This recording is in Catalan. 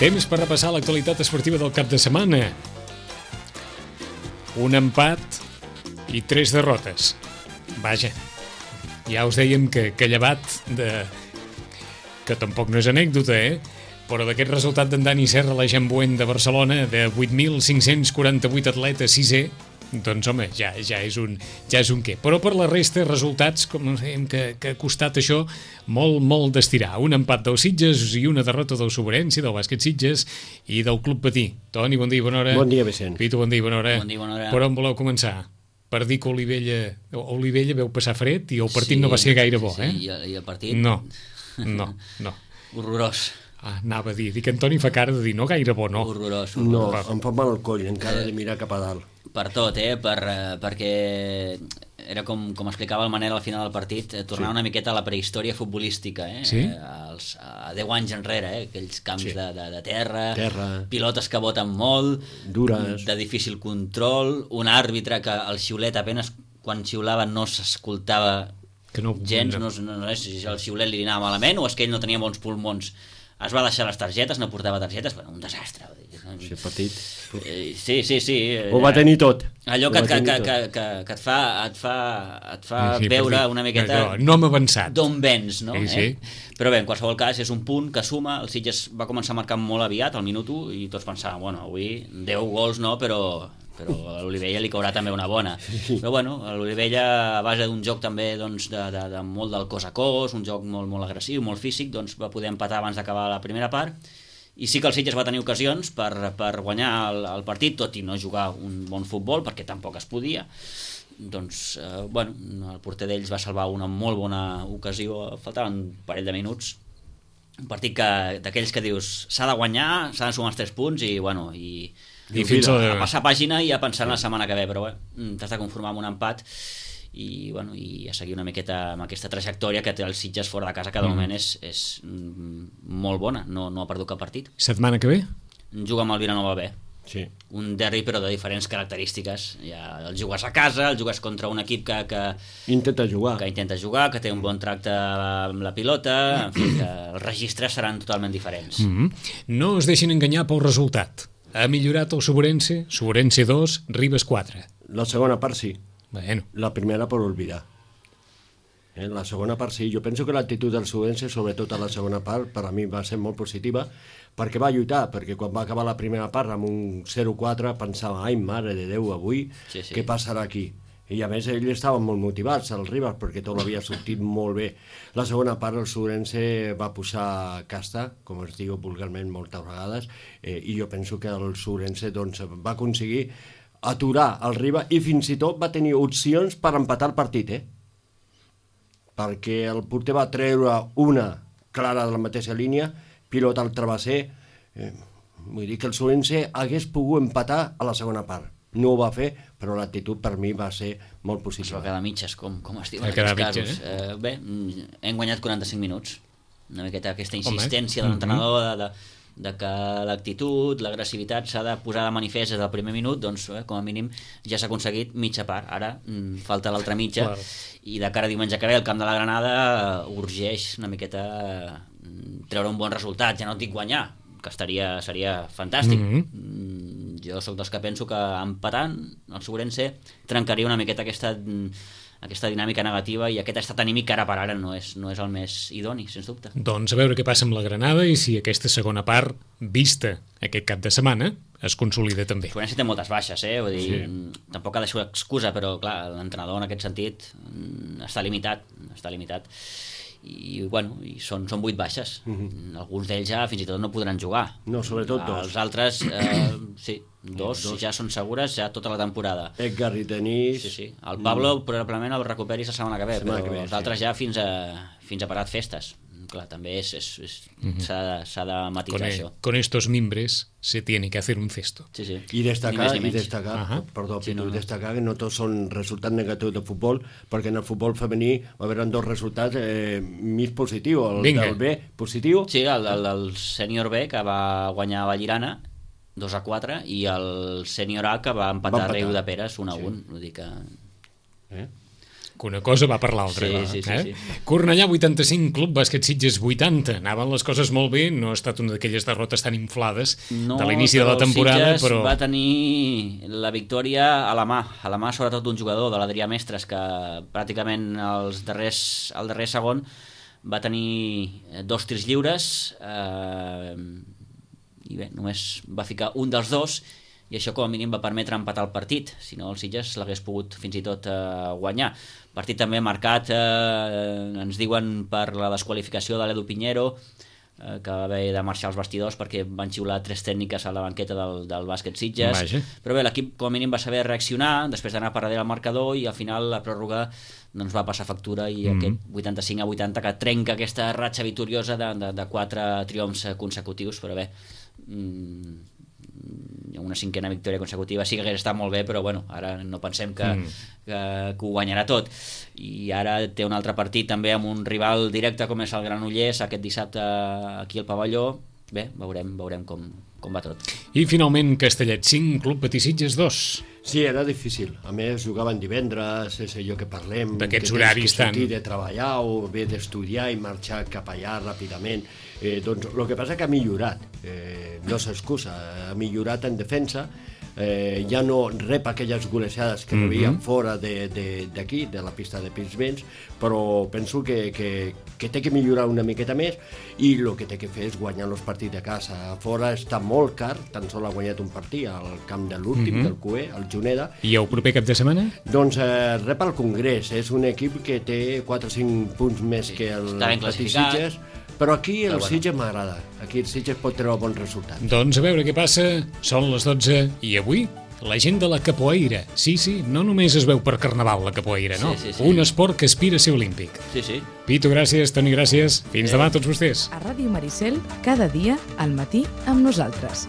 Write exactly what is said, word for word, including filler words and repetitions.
Temps per repassar l'actualitat esportiva del cap de setmana. Un empat i tres derrotes. Vaja, ja us dèiem que, que llevat de... que tampoc no és anècdota, eh? Però d'aquest resultat d'en Dani Serra, la Jambuent de Barcelona, de vuit mil cinc-cents quaranta-vuit atletes, sisè, doncs home, ja, ja, és un, ja és un què. Però per la resta, resultats, com dèiem, que, que ha costat això molt, molt d'estirar. Un empat del Sitges i una derrota del Sobrense, del bàsquet Sitges i del Club Patí. Toni, bon dia i bona hora. Bon dia, Vicent. Pitu, bon dia i bona hora. Bon dia i bona hora. Per on voleu començar? Per dir que Olivella, Olivella veu passar fred i el partit sí, no va ser gaire bo, sí, eh? Sí, i el partit... No, no, no. Horrorós. Ah, anava a dir, dic que Antoni fa cara de dir no gaire bo, no. Horrorós, No, horrorós. em fa mal el coll encara de mirar cap a dalt. Per tot, eh? Per, eh, perquè era com, com explicava el Manel al final del partit, eh, tornar Sí. una miqueta a la prehistòria futbolística, eh? Sí? Eh, als, a deu anys enrere, eh? Aquells camps Sí. de, de, de terra, Terra. pilotes que boten molt, Dures. de difícil control, un àrbitre que el xiulet apenas quan xiulava no s'escoltava Que no- gens, no. no, no, no és si el xiulet li anava malament o és que ell no tenia bons pulmons. Es va deixar les targetes, no portava targetes, bueno, un desastre. Sí, partit. Eh, Sí, sí, sí. Ho va tenir tot. Allò Ho que, va que, tenir que, tot. que, que, que et fa, et fa, et fa Sí, sí, veure per dir, una miqueta allò, no hem avançat. d'on vens, no? Sí, sí. Eh? Però bé, en qualsevol cas és un punt que suma, el Sitges va començar a marcar molt aviat, al minut u, i tots pensàvem, bueno, avui deu gols no, però, però a l'Olivella li caurà també una bona. Però bueno, a l'Olivella, a base d'un joc també doncs, de, de, de molt del cos a cos, un joc molt, molt agressiu, molt físic, doncs va poder empatar abans d'acabar la primera part, i sí que el Sitges va tenir ocasions per, per guanyar el, el partit, tot i no jugar un bon futbol, perquè tampoc es podia. Doncs, eh, bueno, el porter d'ells va salvar una molt bona ocasió, faltaven un parell de minuts, un partit que, d'aquells que dius s'ha de guanyar, s'ha de sumar els tres punts i, bueno, i, I fins a, a- a passar pàgina i a pensar en la setmana que ve, però bé, t'has de conformar amb un empat i, bueno, i a seguir una miqueta amb aquesta trajectòria que té els Sitges fora de casa, que de Mm. moment és, és mm, molt bona, no, no ha perdut cap partit. Setmana que ve? Juga amb el Vilanova B, Sí. un derbi però de diferents característiques. Ja el jugues a casa, el jugues contra un equip que, que, Intenta jugar. que intenta jugar, que té un bon tracte amb la pilota, en fi, que els registres seran totalment diferents. Mm -hmm. No es deixin enganyar pel resultat. Ha millorat el Sobrense, Sobrense dos, Ribes quatre. La segona part sí. Bueno, La primera per olvidar. Eh, la segona part sí. Jo penso que l'actitud del Subense, sobretot a la segona part, per a mi va ser molt positiva, perquè va lluitar, perquè quan va acabar la primera part amb un zero quatre pensava, ai, mare de Déu, avui, Sí, sí. què passarà aquí? I a més ells estaven molt motivats, el Ribas, perquè tot havia sortit molt bé. La segona part el Subense va posar casta, com es diu vulgarment moltes vegades, eh, i jo penso que el Subense doncs, va aconseguir aturar el Ribas i fins i tot va tenir opcions per empatar el partit, eh? Perquè el porter va treure una clara de la mateixa línia, pilota al travesser, eh, vull dir que el Subense hagués pogut empatar a la segona part. No ho va fer, però l'actitud per mi va ser molt Es va positiva. quedar a mitges, com, com es diu Va en quedar aquests a casos. mitges, Eh, bé, mm, hem guanyat quaranta-cinc minuts. Una miqueta aquesta Home. insistència de l'entrenador de, de, de que l'actitud, l'agressivitat s'ha de posar de manifest des del primer minut, doncs eh, com a mínim ja s'ha aconseguit mitja part. Ara mm, falta l'altra mitja, Clar. i de cara a diumenge que ve el camp de la Granada eh, urgeix una miqueta eh, treure un bon resultat, ja no et dic guanyar, que estaria, seria fantàstic. Mhm. Mm, jo sóc dels que penso que empatant el Sobrense trencaria una miqueta aquesta, mm, aquesta dinàmica negativa i aquest estat anímic que ara per ara no és, no és el més idoni, sens dubte. doncs a veure què passa amb la Granada i si aquesta segona part, vista aquest cap de setmana, es consolida també. El Sobrense té moltes baixes, eh? Vull dir, Sí. mm, tampoc ha de ser excusa, però clar, l'entrenador en aquest sentit mm, està limitat, està limitat. I bueno, i són, són vuit baixes. Mm-hmm. Alguns d'ells ja fins i tot no podran jugar. No, sobretot dos. Els altres, eh, sí, dos, Dos. ja són segures ja tota la temporada. Edgar i Denis... Sí, sí. El Pablo probablement el recuperis la setmana que ve, Setmana però que ve, els sí. altres ja fins a, fins a parat festes. Clar, també és, és, és, s'ha de, s'ha de matisar Con, això. con estos mimbres se tiene que hacer un cesto. Sí, sí. I Ni destacar, més ni i menys. destacar, Ahà. perdó, Sí, Pitu, no, no. destacar que no tots són resultats negatius de futbol, perquè en el futbol femení va haver dos resultats eh, més positius. El Vinga. del B, positiu, Sí, el, el, el sènior B, que va guanyar a Vallirana, dos a quatre, i el sènior A, que va empatar, Va empatar. a Riu de Peres, un a Sí. un. Vull dir que... eh? que una cosa va per l'altra. Sí, va, sí, sí, eh? sí. Cornellà vuitanta-cinc, Club Bàsquet Sitges vuitanta. Anaven les coses molt bé, no ha estat una d'aquelles derrotes tan inflades no, de l'inici de la temporada, Sitges però... va tenir la victòria a la mà, a la mà sobretot d'un jugador, de l'Adrià Mestres, que pràcticament els darrers, el darrer segon va tenir dos tirs lliures eh, i bé, només va ficar un dels dos, i això com a mínim va permetre empatar el partit, si no el Sitges l'hagués pogut fins i tot eh, guanyar. Partit també marcat, eh, ens diuen, per la desqualificació de l'Edu Piñero, eh, que va haver de marxar als vestidors perquè van xiular tres tècniques a la banqueta del, del bàsquet Sitges. Vaja. Però bé, l'equip com a mínim va saber reaccionar després d'anar per darrere el marcador, i al final la pròrroga doncs va passar factura, i mm-hmm. aquest vuitanta-cinc a vuitanta que trenca aquesta ratxa victoriosa de, de, de quatre triomfs consecutius. Però bé, mm, una cinquena victòria consecutiva sí que hagués estat molt bé, però bueno, ara no pensem que, mm. que, que ho guanyarà tot. I ara té un altre partit també amb un rival directe com és el Granollers aquest dissabte aquí al pavelló. Bé, veurem, veurem com, com va tot. I finalment Castellet cinc, Club Patí Sitges dos. Sí, era difícil. A més, jugaven divendres, és allò que parlem... D'aquests horaris tan... Que tens que sortir de treballar o bé d'estudiar i marxar cap allà ràpidament. Eh, doncs el que passa que ha millorat, eh, no s'excusa, ha millorat en defensa, eh, ja no rep aquelles golejades que rebien mm-hmm. fora d'aquí, de, de, de la pista de Pinsbens, però penso que, que, que té que millorar una miqueta més, i el que té que fer és guanyar els partits de casa. A fora està molt car, tan sol ha guanyat un partit al camp de l'últim, mm-hmm. del Cué, el Juneda. I el proper cap de setmana? Doncs eh, rep el Congrés, és un equip que té quatre o cinc punts més sí, que el Patí Sitges, però aquí el bueno. Sitges m'agrada, aquí el Sitges pot treure bons resultats. Doncs a veure què passa, són les dotze, i avui la gent de la capoeira. Sí, sí, no només es veu per Carnaval la capoeira, no? Sí, sí, sí. Un esport que aspira a ser olímpic. Sí, sí. Pitu, gràcies, Toni, gràcies. Fins eh. demà a tots vostès. A Ràdio Maricel, cada dia, al matí, amb nosaltres.